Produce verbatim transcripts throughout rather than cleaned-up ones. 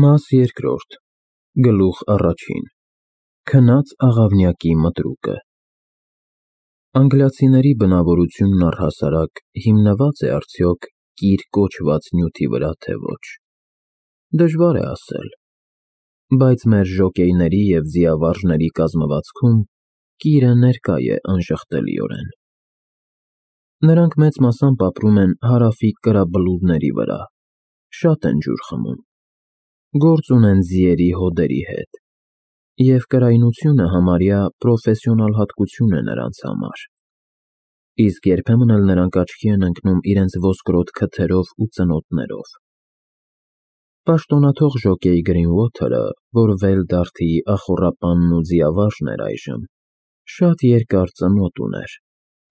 Մաս երկրորդ, գլուխ առաջին, քնած աղավնյակի մտրուկը։ Անգլիացիների բնավորությունն առհասարակ հիմնվա՞ծ է արդյոք կիր կոչված նյութի վրա, թե ոչ։ Դժվար է ասել, բայց մեր ժոկեյների և ձիավարժների կազմվածքում կիրը ներկա է անժխտելիորեն։ Նրանք մեծ մասամբ ապրում են հարավի կրաբլուրների վրա, շատ են ջուր խմում, գործ ունեն ձիերի հոդերի հետ, և կրայնությունը համարյա պրոֆեսիոնալ հատկություն է նրանց համար, իսկ երբեմն էլ նրանք աչքի են ընկնում իրենց ոսկրոտ քթերով ու ծնոտներով։ Պաշտոնաթող ժոկեյ Գրինուոթերը, որ Վեյլդարթիի ախոռապանն ու ձիավարժն էր այժմ, շատ երկար ծնոտ ուներ,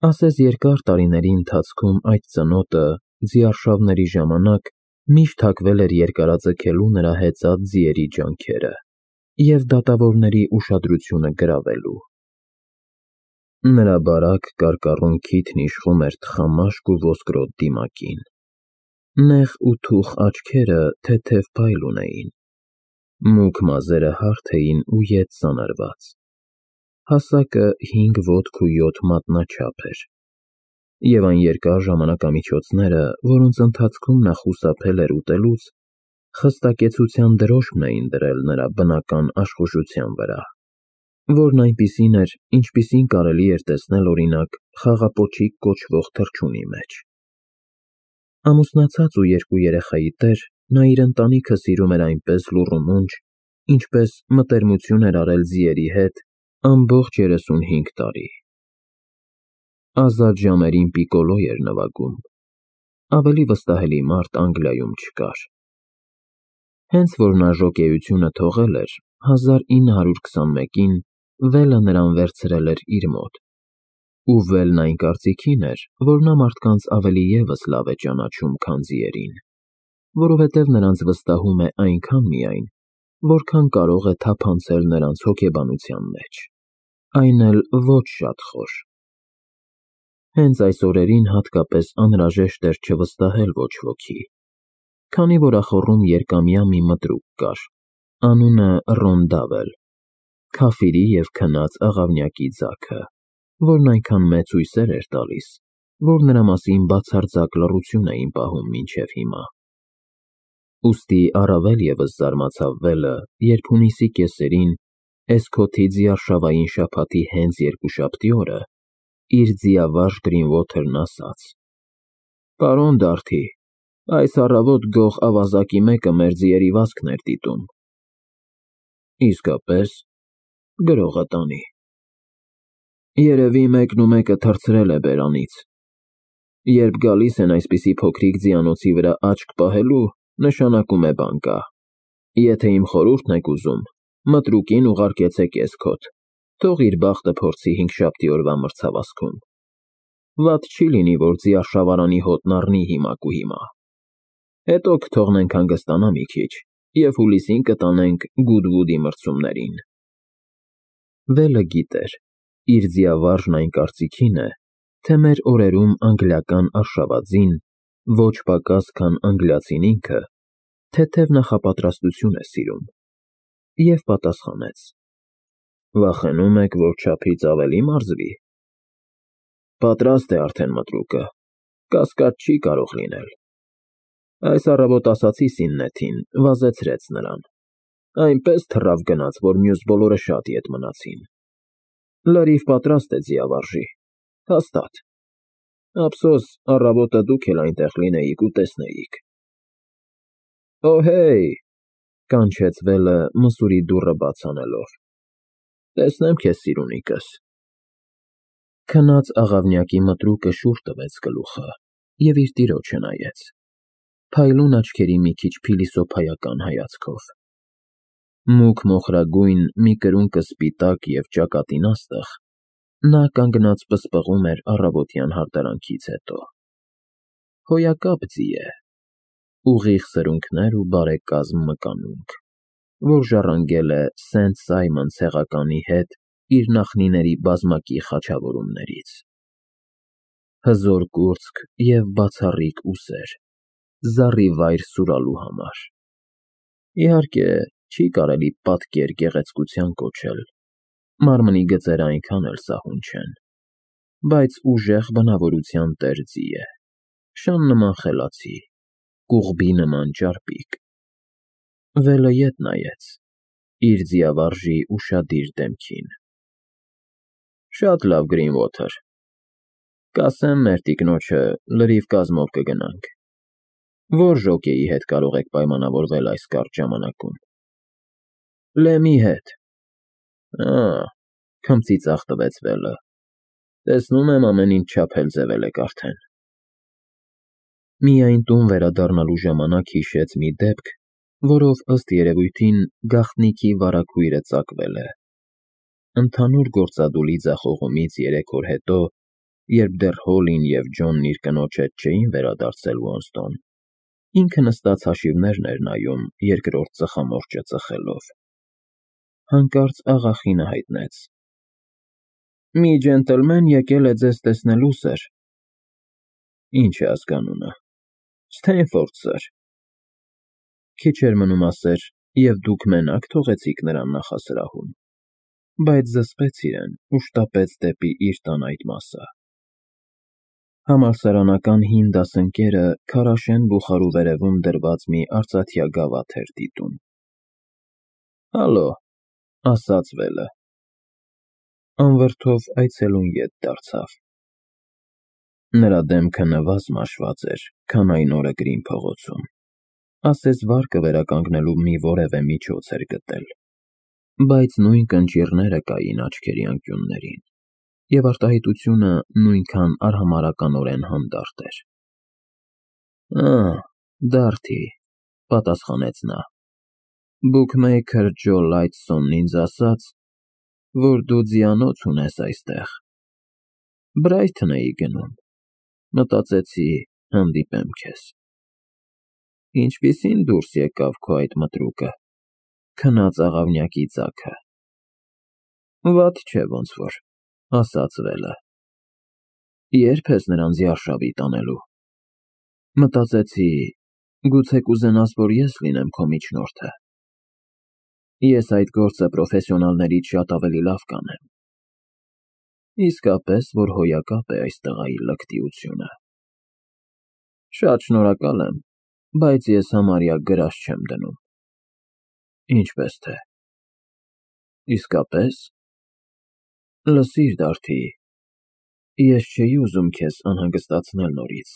ասես երկար տարիների ընթացքում այդ ծնոտը, ձիարշավների ժամանակ, միշտ հագվել էր երկարաձգելու նրա հեծած ձիերի ջանքերը և դատավորների ուշադրությունը գրավելու։ Նրա բարակ կարկառուն քիթն իշխում էր թխամաշկ ու ոսկրոտ դիմակին, նեղ ու թուխ աչքերը թեթև փայլ ունեին, մուգ մազերը հարթ էին ու ետ ծանրված, հասակը հինգ ոտք ու յոթ մատնաչափ էր, և այն երկար ժամանակամիջոցները, որոնց ընթացքում նա խուսափել էր ուտելուց, խստակեցության դրոշմն էին դրել նրա բնական աշխուժության վրա, որն այնպիսին էր, ինչպիսին կարելի էր տեսնել, օրինակ, խաղապոչիկ կոչվող թռչունի մեջ։ Ամուսնացած ու երկու երեխայի տեր, նա իր ընտանիքը սիրում էր այնպես լուռումունջ, ինչպես մտերմություն էր արել ձիերի հետ ամբողջ երեսունհինգ տարի։ Ազատ ժամերին պիկոլո էր նվագում, ավելի վստահելի մարդ Անգլիայում չկար։ Հենց որ նա ժոկեյությունը թողել էր, հազար ինը հարյուր քսանմեկին Վելը նրան վերցրել էր իր մոտ, ու Վելն այն կարծիքին էր, որ նա մարդկանց ավելի ևս լավ է ճանաչում, քան ձիերին, որովհետև նրանց վստահում է այնքան միայն, որքան կարող է թափանցել նրանց հոգեբանության մեջ, այն էլ ոչ շատ խոր։ Հենց այս օրերին հատկապես անհրաժեշտ էր չվստահել ոչ ոքի, քանի որ ախոռում երկամյա մի մտրուկ կար, անունը Ռոնդավել, քաֆիրի և քնած աղավնյակի ձագը, որն այնքան մեծ հույսեր էր տալիս, որ նրա մասին բացարձակ լռություն էին պահում մինչև հիմա։ Ուստի առավել ևս զարմացավ Վելը, երբ հունիսի կեսերին, Էսքոթի ձիարշավային շաբաթի հենց երկուշաբթի օրը, իր ձիավարժ Գրինուոթերն ասաց. «Պարոն Դարթի, այս առավոտ գող ավազակի մեկը մեր ձիերի վազքն էր դիտում»։ Իսկապես, գրողը տանի։ Երևի մեկն ու մեկը թռցրել է բերանից։ Երբ գալիս են այսպիսի փոքրիկ ձիանոցի վրա աչք պահելու, նշանակում է բան կա։ Եթե իմ խորհուրդն եք ուզում, մտրուկին ուղարկեցեք Էսքոթ, թող իր բախտը փորձի հինգշաբթի օրվա մրցավազքում։ Վատ չի լինի, որ ձիարշավարանի հոտն առնի հիմակ ու հիմա։ Հետո կթողնենք հանգստանա մի քիչ և հուլիսին կտանենք Գուդվուդի մրցումներին։ Վելը գիտեր, իր ձիավարժն այն կարծիքին է, թե մեր օրերում անգլիական արշավածին, ոչ պակաս, քան անգլիացին ինքը, թեթև նախապատրաստություն է սիրում, և պատասխանեց. «Վախենում եք, որ չափից ավելի մարզվի։ Պատրաստ է արդեն մտրուկը, կասկած չի կարող լինել։ Այս առավոտ ասացի Սիննեթին, վազեցրեց նրան, այնպես թռավ գնաց, որ մյուս բոլորը շատ ետ մնացին։ Լրիվ պատրաստ է ձիավարժի, հաստատ։ Ափսոս, առավոտը դուք էլ այնտեղ լինեիք ու տեսնեիք»։ «Օհեյ», կանչեց Վելը մսուրի դուռը բաց անելով, «տեսնեմ քեզ, սիրունիկս»։ Քնած աղավնյակի մտրուկը շուռ տվեց գլուխը և իր տիրոջը նայեց, փայլուն աչքերի մի քիչ փիլիսոփայական հայացքով։ Մուգ մոխրագույն, մի կրունկը սպիտակ և ճակատին աստղ, նա կանգնած պսպղում էր առավոտյան հարդարանքից հետո։ Հոյակապ ձի է, ուղիղ սրունքներ ու բարեկազմ մկանունք, որ ժառանգել է Սենթ Սայմոն ցեղականի հետ իր նախնիների բազմակի խաչավորումներից։ Հզոր կուրծք և բացառիկ ուսեր, զառիվայր սուրալու համար։ Իհարկե, չի կարելի պատկեր գեղեցկության կոչել, մարմնի գծերը այնքան էլ սահուն չեն, բայց ուժեղ բնավորության տեր ձի է, շան նման խելացի, կուղբի նման ճարպիկ։ Վելը ետ նայեց, իր ձիավարժի ուշադիր դեմքին։ Շատ լավ, Գրինվոթեր, կասեմ մեր տիկնոջը լրիվ կազմով կգնանք, որ ժոկեի հետ կարող եք պայմանավորվել այս կարճ ժամանակում։ Լեմի հետ։ Ա, քմծի ծաղտվեց Վելը, տեսնում եմ ամեն ինչ չափել ձևել եք արդեն։ Միայն տուն վերադառնալու ժամանակ հիշեց մի դեպք, որով ըստ երևույթին գաղտնիքի վարագույրը ծակվել է։ Ընդհանուր գործադուլի ձախողումից երեք օր հետո, երբ դեռ Հոլին և Ջոնն իր կնոջ հետ չէին վերադարձել Ոնստոն, ինքը նստած հաշիվներն էր նայում երկրորդ ծխամորճը ծխելով։ Հանկարծ աղախինը հայտնեց. Մի ջենտլմեն եկել է ձեզ տեսնելու, սըր։ Ինչ է ազգանունը։ Սթեյնֆորդ, սըր։ Քիչ էր մնում ասեր, և դուք մենակ թողեցիք նրան նախասրահում, բայց զսպեց իրեն ու շտապեց դեպի իր տան այդ մասը։ Համալսարանական հին դասընկերը քարաշեն բուխարու վերևում դրված մի արծաթյա գավաթ էր դիտում։ Հալո, ասաց Վելը։ Անվրդով այցելուն ետ դարձավ։ Նրա դեմքը նվազ մաշված էր, քան այն օրը Գրին փողոցում, ասես վարկը վերականգնելու մի որևէ միջոց էր գտել, բայց նույն կնճիռները կային աչքերի անկյուններին, և արտահայտությունը նույնքան արհամարհականորեն հանդարտ էր։ Ա, Դարթի, պատասխանեց նա, բուքմեյքր Ջո Լայթսոնն ինձ ասաց, որ դու ձիանոց ունես այստեղ։ Բրայթոն էի գնում, մտածեցի հանդիպեմ քեզ։ Ինչպիսի՞ն դուրս եկավ քո այդ մտրուկը, քնած աղավնյակի ձագը։ Վատ չէ ոնց որ, ասաց Վելը։ Ե՞րբ ես նրան զիարշավի տանելու։ Մտածեցի, գուցե կուզենաս, որ ես լինեմ քո միջնորդը։ Ես այդ գործը պրոֆեսիոնալներից շատ ավելի լավ կանեմ։ Իսկապես, որ հոյակապ է այս տղայի լկտիությունը։ Շատ շնորհակալ եմ, բայց ես համարյա գրաշ չեմ դնում։ Ինչպես թե։ Իսկապես։ Լսիր, Դարթի, ես չէի ուզում քեզ անհանգստացնել նորից,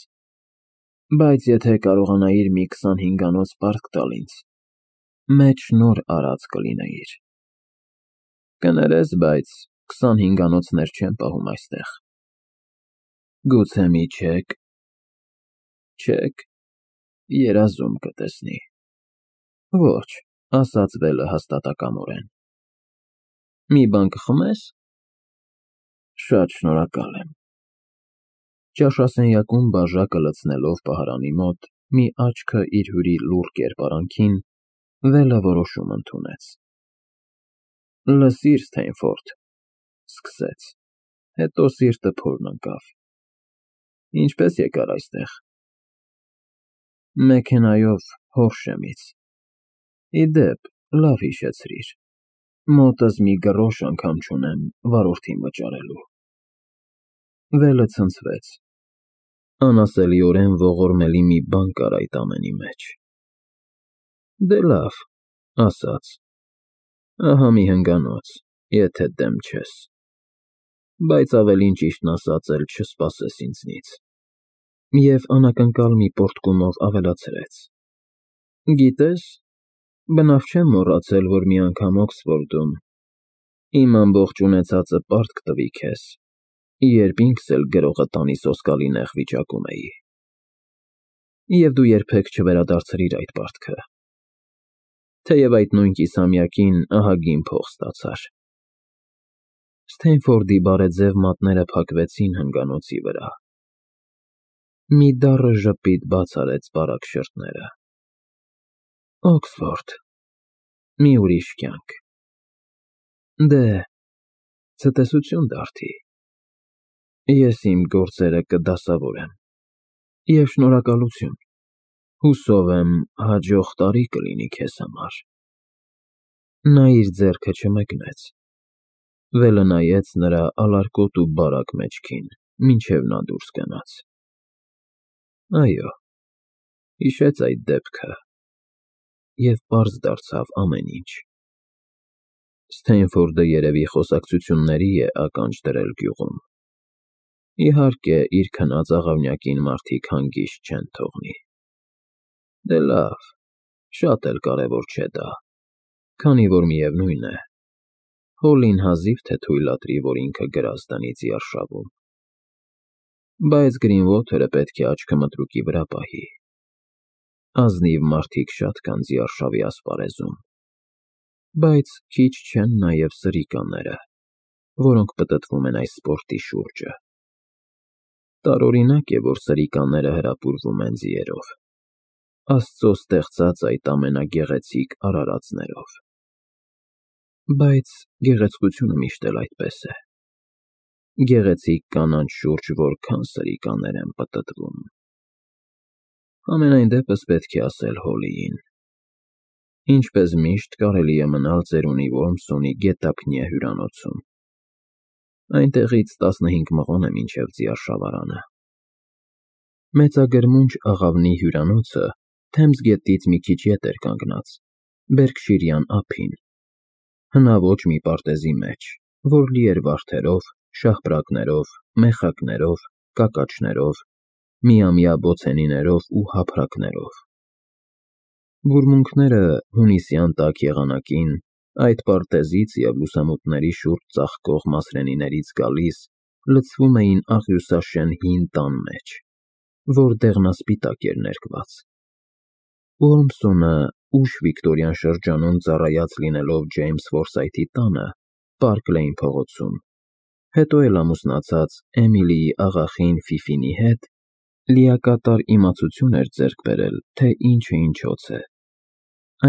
բայց եթե կարողանայիր մի քսանհինգանոց պարտք տալ ինձ, մեծ շնորհ արած կլինեիր։ Կներես, բայց քսանհինգանոցներ չեն պահում այստեղ։ Գուցե մի չեք։ Չեք, երազում կտեսնի։ Ոչ, ասաց Վելը հաստատակամորեն։ Մի բան կխմես։ Շատ շնորհակալ եմ։ Ճաշասենյակում բաժակը լցնելով պահարանի մոտ, մի աչքը իր հյուրի լուռ կերպարանքին, Վելը որոշում ընդունեց։ Լսիր, Սթեյնֆորդ, սկսեց, հետո սիրտը փորն ընկավ։ Ինչպես եկար այստեղ։ Մեքենայով Հորշեմից։ Ի դեպ, լավ հիշեցրիր, մոտս մի գրոշ անգամ չունեմ վարորդին վճարելու։ Վելը ցնցվեց։ Անասելիորեն ողորմելի մի բան կար այդ ամենի մեջ։ Դե լավ, ասաց, ահա մի հնգանոց, եթե դեմ չես, բայց ավելին ճիշտն ասած էլ չսպասես ինձնից։ Եվ անակնկալ մի պոռթկումով ավելացրեց. Գիտես, բնավ չեմ մոռացել, որ մի անգամ Օքսֆորդում իմ ամբողջ ունեցածը պարտք տվի քեզ, երբ ինքս էլ գրողը տանի սոսկալի նեղ վիճակում էի։ Եվ դու երբեք չվերադարձրիր այդ պարտքը, թեև այդ նույն կիսամյակին ահագին փող ստացար։ Սթեյնֆորդի բարեձև մատները փակվեցին հնգանոցի վրա։ Մի դառը ժպիտ բաց արեց բարակ շրթները։ Օքսֆորդ, մի ուրիշ կյանք։ Դե, ցտեսություն, Դարթի։ Ես իմ գործերը կդասավորեմ, և շնորհակալություն։ Հուսով եմ հաջող տարի կլինի քեզ համար։ Նա իր ձեռքը չմեկնեց, վելը նայեց նրա ալարկոտ ու բարակ մեջքին, մինչև նա դուրս գնաց։ Այո, հիշեց այդ դեպքը, և պարզ դարձավ ամեն ինչ։ Սթեյնֆորդը երևի խոսակցությունների է ականջ դրել գյուղում։ Իհարկե, իր քնած աղավնյակին մարդիկ հանգիստ չեն թողնի։ Դե լավ, շատ էլ կարևոր չէ դա, քանի որ միևնույն է, Հոլլին հազիվ թե թույլատրի, որ ինքը գրազ դնի ձիարշավում։ Բայց Գրինվոթերը պետք է աչքը մտրուկի վրա պահի։ Ազնիվ մարդիկ շատ կան ձիարշավի ասպարեզում, բայց քիչ չեն նաև սրիկաները, որոնք պտտվում են այս սպորտի շուրջը։ Տարօրինակ է, որ սրիկաները հրապուրվում են ձիերով, Աստծո ստեղծած այդ ամենագեղեցիկ արարածներով։ Բայց գեղեցկությունը միշտ էլ այդպես է։ Գեղեցիկ կանանց շուրջ որքան սրիկաներ են պտտվում։ Համենայն դեպս պետք է ասել Հոլլիին. ինչպես միշտ կարելի է մնալ ծերունի Որմսոնի գետափնյա հյուրանոցում։ Այնտեղից տասնհինգ մղոն է մինչև ձիարշավարանը։ Մեծագրմունջ աղավնի հյուրանոցը Թեմզ գետից մի քիչ ետ էր կանգնած, Բերքշիրյան ափին, հնաոճ մի պարտեզի մեջ, որ լի էր վարդերով, շահպրակներով, մեխակներով, կակաչներով, միամյա բոցենիներով ու հափրակներով։ Բուրմունքները հունիսյան տաք եղանակին այդ պարտեզից և լուսամուտների շուրջ ծաղկող մասրենիներից գալիս լցվում էին աղյուսաշեն հին տան մեջ, որ դեղնասպիտակ էր ներկված։ Որմսոնը, ուշ վիկտորյան շրջանում ծառայած լինելով Ջեյմս Ֆորսայթի տանը, Պարկ Լեյն փողոցում, հետո էլ ամուսնացած Էմիլիի աղախին Ֆիֆինի հետ, լիակատար իմացություն էր ձեռք բերել, թե ինչը ինչոց է,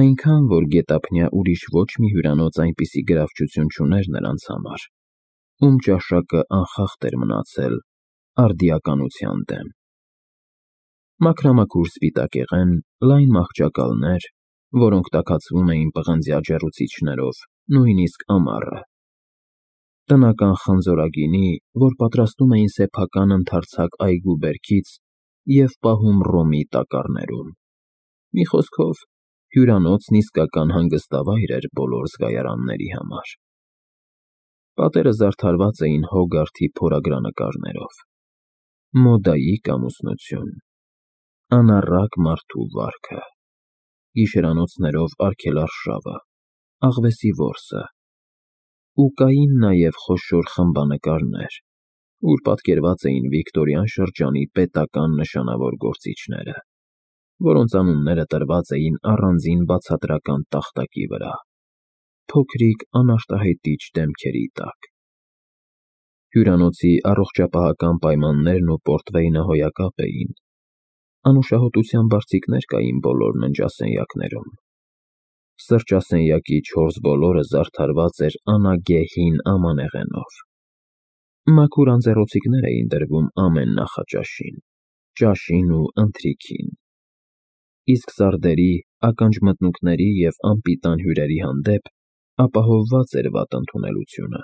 այնքան, որ գետափնյա ուրիշ ոչ մի հյուրանոց այնպիսի գրավչություն չուներ նրանց համար, ում ճաշակը անխախտ էր մնացել արդիականության դեմ։ Մաքրամաքուր սպիտակեղեն, լայն մահճակալներ, որոնք տաքացվում էին պղնձյա ջեռուցիչներով, նույնիսկ ամառը։ Տնական խնձորագինի, որ պատրաստում էին սեփական ընդարձակ այգու բերքից և պահում ռոմի տակառներում։ Մի խոսքով, հյուրանոցն իսկական հանգստավայր էր բոլոր զգայարանների համար։ Պատերը զարդարված էին Հոգարթի փորագրանկարներով։ Մոդայիկ ամուսնություն, անառակ մարդու վարքը, գիշերանոցներով արգելարշավը, աղվեսի որսը, ու կային նաև խոշոր խմբանկարներ, ուր պատկերված էին վիկտորյան շրջանի պետական նշանավոր գործիչները, որոնց անունները տրված էին առանձին բացատրական տախտակի վրա, փոքրիկ անարտահայտիչ դեմքերի տակ։ Հյուրանոցի առողջապահական պայմաններն ու պորտվեյնը հոյակապ էին, անուշահոտության բարձիկներ կային բոլոր ննջասենյակներում։ Սրճասենյակի չորս բոլորը զարդարված էր անագե հին ամանեղենով։ Մաքուր անձեռոցիկներ էին դրվում ամեն նախաճաշին, ճաշին ու ընթրիքին, իսկ սարդերի, ականջմտնուկների և անպիտան հյուրերի հանդեպ ապահովված էր վատ ընդունելությունը։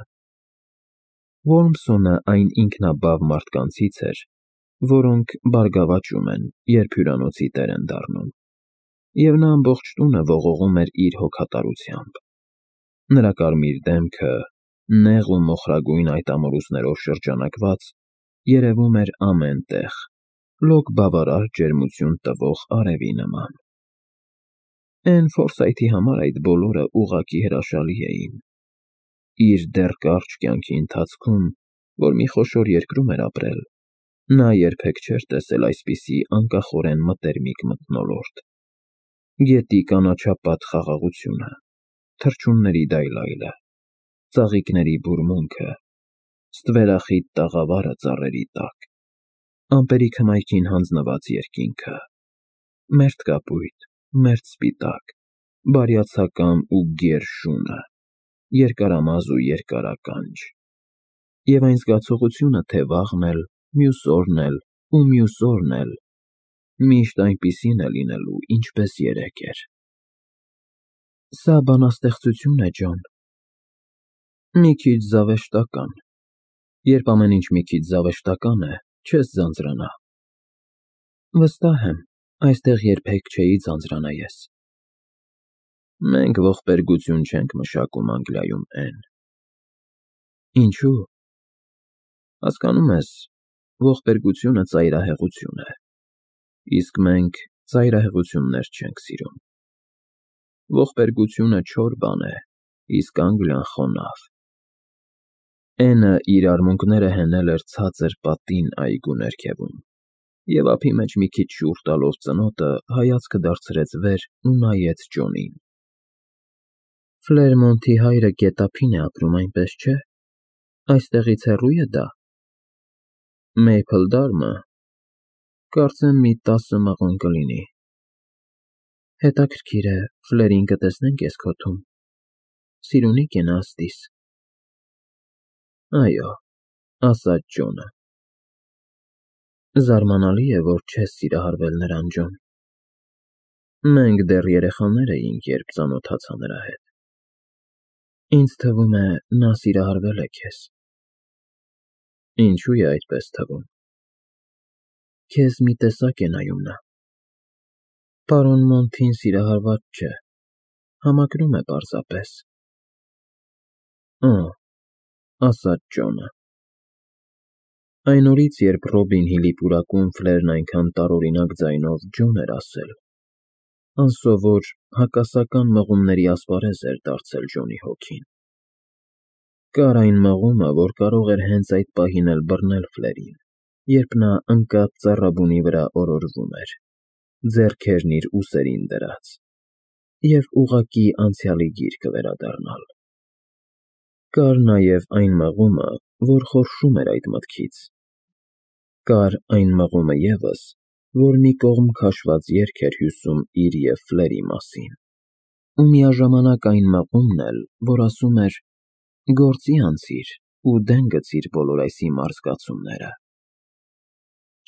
Որմսոնը այն ինքնաբավ մարդկանցից էր, որոնք բարգավաճում են, երբ հյուրանոցի տեր են դառնում, և նա ամբողջ տունը ողողում էր իր հոգատարությամբ։ Նրա կարմիր դեմքը, նեղ ու մոխրագույն այդ ամորուսներով շրջանակված, երևում էր ամեն տեղ, լոկ բավարար ջերմություն տվող արևի նման։ Էն Ֆորսայթի համար այդ բոլորը ուղղակի հրաշալի էին։ Իր դեռ կարճ կյանքի ընթացքում, որ մի խոշոր երկրում էր ապրել, նա երբեք չէր տեսել այսպիսի անկախորեն մտերմիկ մթնոլորտ։ Գետի կանաչապատ խաղաղությունը, թռչունների դայլայլը, ծաղիկների բուրմունքը, ստվերախիտ տաղավարը ծառերի տակ, ամպերի քմայքին հանձնված երկինքը, մերթ կապույտ, մերթ սպիտակ, բարյացակամ ու գեր շունը, երկարամազ ու երկարականջ, և այն զգացողությունը, թե վաղն էլ, մյուս օրն էլ ու մյուս օրն էլ Միշտ այնպիսին է լինելու, ինչպես երեկ էր։ Սա բանաստեղծություն է, Ջոն։ Մի քիչ զավեշտական։ Երբ ամեն ինչ մի քիչ զավեշտական է, չես ձանձրանա։ Վստահ եմ, այստեղ երբեք չէի ձանձրանա ես։ Մենք ողբերգություն չենք մշակում Անգլիայում, Էն։ Ինչու՞։ Հասկանում ես, ողբերգությունը ծայրահեղություն է, իսկ մենք ծայրահեղություններ չենք սիրում։ Ողբերգությունը չոր բան է, իսկ Անգլիան խոնավ։ Էնը իր արմունկները հենել էր ցածր պատին այգու ներքևում, և ափի մեջ մի քիչ շուռ տալով ծնոտը, հայացքը դարձրեց վեր ու նայեց Ջոնին։ Ֆլերմոնթի հայրը գետափին է ապրում, այնպես չէ՞։ Այստեղից հեռու է դա։ Մեյփլդարմը, կարծեմ մի տասը մղոն կլինի։ Հետաքրքիր է, Ֆլերին կտեսնենք էս քոթում։ Սիրունի՞կ է նա ըստիս։ Այո, ասաց Ջոնը։ Զարմանալի է, որ չես սիրահարվել նրան, Ջոն։ Մենք դեռ երեխաներ էինք, երբ ծանոթացա նրա հետ։ Ինձ թվում է, նա սիրահարվել է քեզ։ Ինչու է այդպես թվում։ Քեզ մի տեսակ է նայում նա։ Պարոն Մոնթին սիրահարված չէ, համակրում է պարզապես։ Օ, ասաց Ջոնը։ Այն օրից, երբ Ռոբին Հիլի պուրակում Ֆլերն այնքան տարօրինակ ձայնով Ջոն էր ասել, անսովոր, հակասական մղումների ասպարեզ էր դարձել Ջոնի հոգին։ Կար այն մղումը, որ կարող էր հենց այդ պահին էլ բռնել Ֆլերին, երբ նա ընկած ծառաբունի վրա օրորվում էր, ձեռքերն իր ուսերին դրած, և ուղղակի անցյալի գիրկը վերադառնալ։ Կար նաև այն մղումը, որ խորշում էր այդ մտքից։ Կար այն մղումը ևս, որ մի կողմ քաշված երգ էր հյուսում իր և Ֆլերի մասին, ու միաժամանակ այն մղումն էլ, որ ասում էր. «Գործի անցիր ու դեն գցիր բոլոր այս հիմար զգացումները»։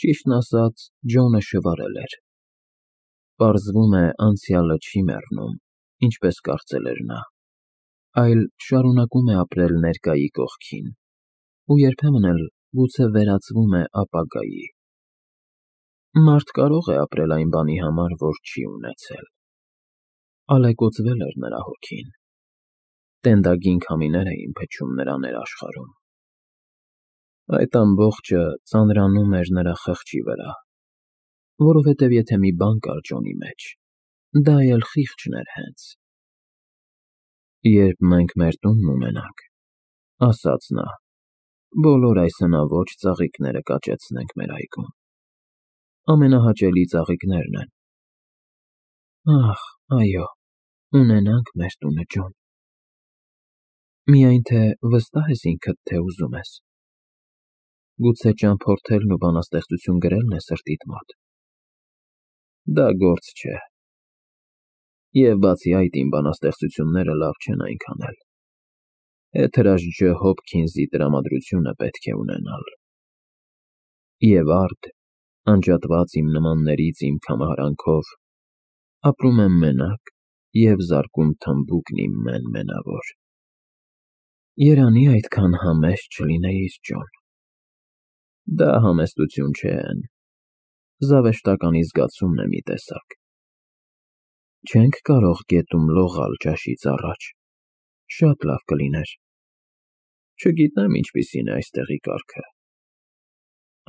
Ճիշտն ասած, Ջոնը շվարել էր։ Պարզվում է, անցյալը չի մեռնում, ինչպես կարծել էր նա, այլ շարունակում է ապրել ներկայի կողքին, ու երբեմն էլ գուցե վերածվում է ապագայի։ Մարդ կարող է ապրել այն բանի համար, որ չի ունեցել։ Ալեկոծվել էր նրա հոգին։ Տենդագին քամիներ էին փչում նրա ներաշխարհում։ Այդ ամբողջը ծանրանում էր նրա խղճի վրա, որովհետև եթե մի բան կար Ջոնի մեջ, դա էլ խիղճն էր հենց։ Երբ մենք մեր տունն ունենանք, ասաց նա, բոլոր այս հնաոճ ծաղիկները կաճեցնենք մեր այգում։ Ամենահաճելի ծաղիկներն են։ Ախ, այո, ունենանք մեր տունը, Ջոն։ Միայն թե վստահ ես ինքդ, թե ուզում ես։ Գուցե ճամփորդելն ու բանաստեղծություն գրելն է սրտիդ մոտ։ Դա գործ չէ։ Եվ բացի այդ, իմ բանաստեղծությունները լավ չեն այնքան էլ։ Էթրաժ Ջ. Հոփքինզի տրամադրությունը պետք է ունենալ։ Եվ արդ, անջատված իմ նմաններից իմ կամարանքով, ապրում եմ մենակ և զարկում թմբուկն իմ մեն֊մենավոր։ Երանի այդքան համեստ չլինեիր, Ջոն։ Դա համեստություն չէ, Էն, զավեշտականի զգացումն է մի տեսակ։ Չենք կարող գետում լողալ ճաշից առաջ, շատ լավ կլիներ։ Չգիտեմ ինչպիսին է այստեղի կարգը։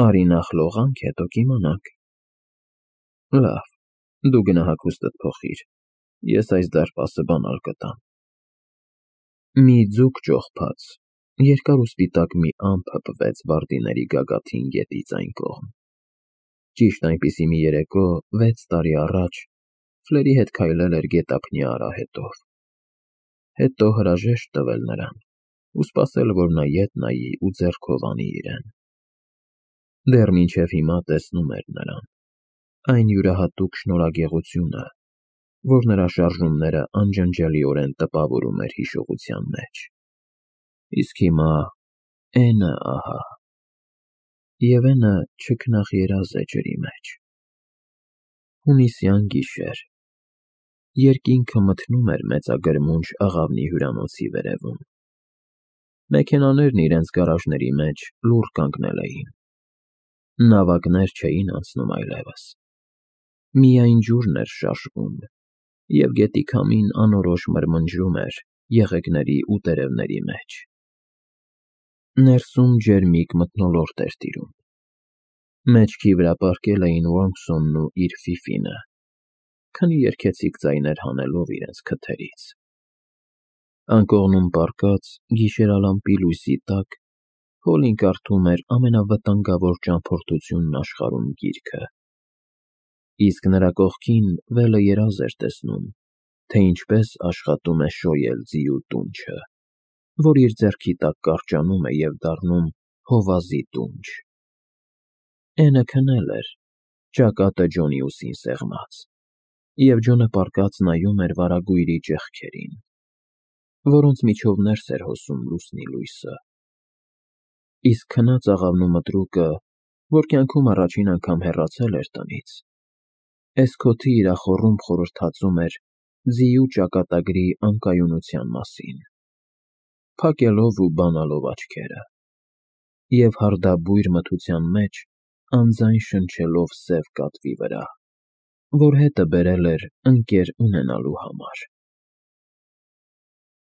Արի նախ լողանք, հետո կիմանանք։ Լավ, դու գնա հագուստդ փոխիր, ես այս դարպասը բանալ կտամ։ Մի ձուկ ճողփած, երկար ու սպիտակ մի ամպ հպվեց վարդիների գագաթին գետից այն կողմ։ Ճիշտ այնպիսի մի երեկո վեց տարի առաջ Ֆլերի հետ քայլել էր գետափնյա արահետով։ Հետո հրաժեշտ տվել նրան ու սպասել, որ նա ետ նայի ու ձեռքով անի իրեն։ Դեռ մինչև հիմա տեսնում էր նրան, այն յուրահատուկ շնորհագեղությունը, որ նրա շարժումները անջնջելիորեն տպավորում էր հիշողության մեջ։ Իսկ հիմա Էնը ահա։ Եվ Էնը չքնաղ երազ է ջրի մեջ։ Հունիսյան գիշեր։ Երկինքը մթնում էր մեծագրմունջ աղավնի հյուրանոցի վերևում։ Մեքենաներն իրենց գարաժների մեջ լուռ կանգնել էին։ Նավակներ չէին անցնում այլևս։ Միայն ջուրն էր շարժվում, և գետի քամին անորոշ մրմնջում էր եղեգների ու տերևների մեջ։ Ներսում ջերմիկ մթնոլորտ էր տիրում։ Մեջքի վրա պառկել էին Ոմսոնն ու իր Ֆիֆինը, քնի երգեցիկ ձայներ հանելով իրենց քթերից։ Անկողնում պառկած, գիշերալամպի լույսի տակ Փոլին կարդում էր ամենավտանգավոր ճամփորդությունն աշխարհում գիրքը, իսկ նրա կողքին Վելը երազ էր տեսնում, թե ինչպես աշխատում է շոյել ձիու տունչը, որ իր ձեռքի տակ կարճանում է և դառնում հովազի տունչ։ Էնը քնել էր, ճակատը Ջոնի ուսին սեղմած, և Ջոնը պառկած նայում էր վարագույրի ճեղքերին, որոնց միջով ներս էր հոսում լուսնի լույսը։ Իսկ քնած աղավնու մտրուկը, որ կյանքում առաջին անգամ հեռացել էր տնից, էս-քոթի իրախոռում խորհրդածում էր ձիու ճակատագրի անկայունության մասին, փակելով ու բանալով աչքերը, և հարդաբույր մթության մեջ անձայն շնչելով սև կատվի վրա, որ հետը բերել էր ընկեր ունենալու համար։